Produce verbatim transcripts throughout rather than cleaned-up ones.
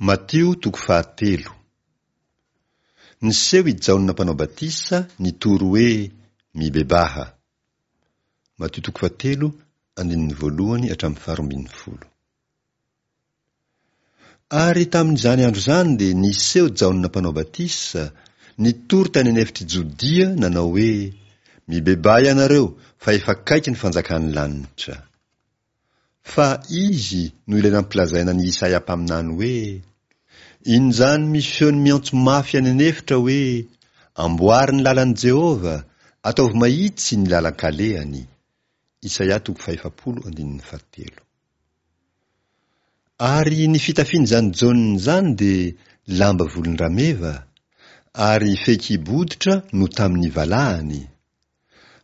Matio toko fahatelo. Niseho i Jaona mpanao batisa nitory hoe mibebaha. Matio toko fahatelo, andininy voalohany hatramin'ny faharoa ambin'ny folo. Ary tamin'izany andro izany dia niseho Jaona mpanao batisa, nitory tany an'efitr'i Jodia nanao hoe mibebaha ianareo fa efa akaiky ny fanjakan'ny lanitra. Fa izy no ilay nampilazaina ny Isaia mpaminany hoe injany misy feony miantso mafy any an'efitra hoe amboary ny lalan'i Jehovah, ataovy mahitsy ny lalan-kalehany. Isaia toko fahefapolo andininy fahatelo. Ary ny fitafian'izany Jaona izany dia lamba volon-drameva, ary fehikibo hoditra no tamin'ny valahany.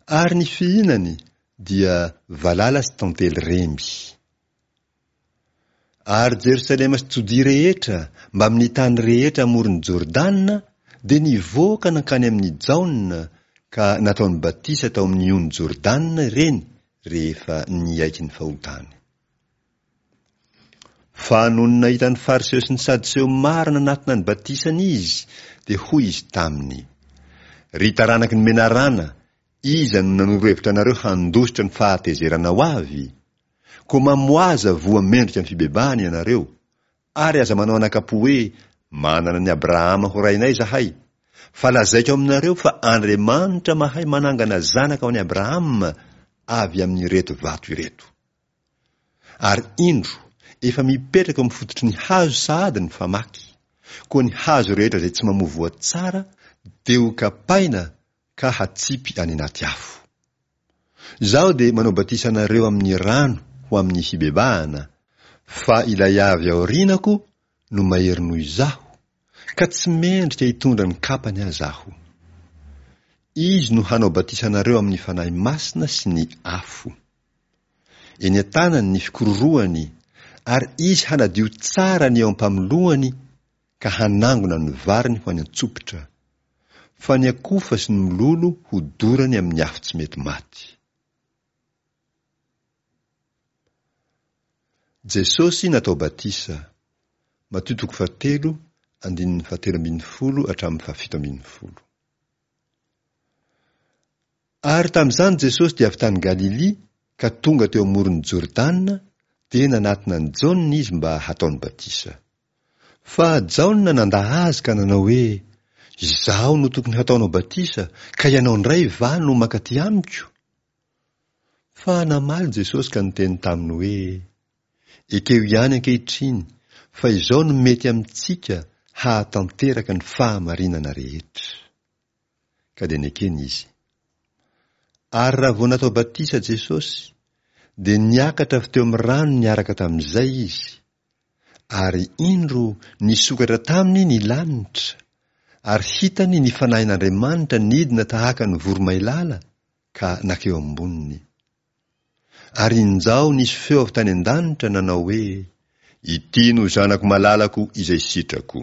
Ary ny fihinany dia valala sy tantely remby. Ary Jerosalema sy Jodia rehetra mbamin'ny tany rehetra amoron'i Jordana dia nivoaka nankany amin'i Jaona ka nataony batisa tao amin'ny ony Jordana ireny rehefa niaiky ny fahotany. Fa nony nahita ny Fariseo sy ny Sadoseo maro nanatona ny batisany izy, dia hoy izy taminy: Ry taranaky ny menarana, iza no nanoro hevitra anareo handositra ny fahatezerana ho avy? Koa mamoaza voa mendrika ny fibebahana ianareo, ary aza manao anakapo hoe manana an'i Abrahama ho rainay izahay, fa lazaiko aminareo fa Andriamanitra mahay manangana zanaka ho an'i Abrahama avy amin'ireto vato ireto. Ary indro, efa mipetraka eo amin'ny fototry ny hazo sahady ny famaky. Koa ny hazo rehetra izay tsy mamoa voa tsara dia ho kapaina ka hatsipy any anaty afo. Izaho dia manao batisa anareo amin'ny rano ho amin'ny fibebahana, fa ilay avy aorianako no mahery noho izaho, ka tsy mendrika hitondra ny kapany aza aho. Izy no hanao batisa anareo amin'ny Fanahy Masina sy ny afo. Eny an-tanany ny fikororohany, ary izy hanadio tsara ny eo am-pamoloany ka hanangona ny variny ho any an-tsopitra. Fa ny akofa sy ny mololo ho dorany amin'ny afo tsy mety maty. Jesosy natao batisa. Matio toko fahatelo, andininy fahatelo ambin'ny folo hatramin'ny fahafito ambin'ny folo. Ary tamin'izany Jesosy dia avy tany Galilia ka tonga teo amoron'i Jordana, dia nanatona an'i Jaona izy mba hataony batisa. Fa Jaona nandà azy ka nanao hoe: Izaho no tokony hataonao batisa, ka ianao indray va no mankaty amiko? Fa namaly Jesosy ka niteny taminy hoe: Ekeo ihany ankehitriny fa izao no mety amintsika hahatanteraka ny fahamarinana rehetra. Ka dia nekeny izy. Ary raha vao natao batisa Jesosy, dia niakatra avy teo amin'ny rano niaraka tamin'izay izy. Ary indro nisokatra taminy ny lanitra, ary hitany ny Fanahin'Andriamanitra nidina tahaka ny voromailala ka nakeo amboniny. Ary injao nisy feo avy tany an-danitra nanao hoe: Ity no zanako malalako izay sitrako.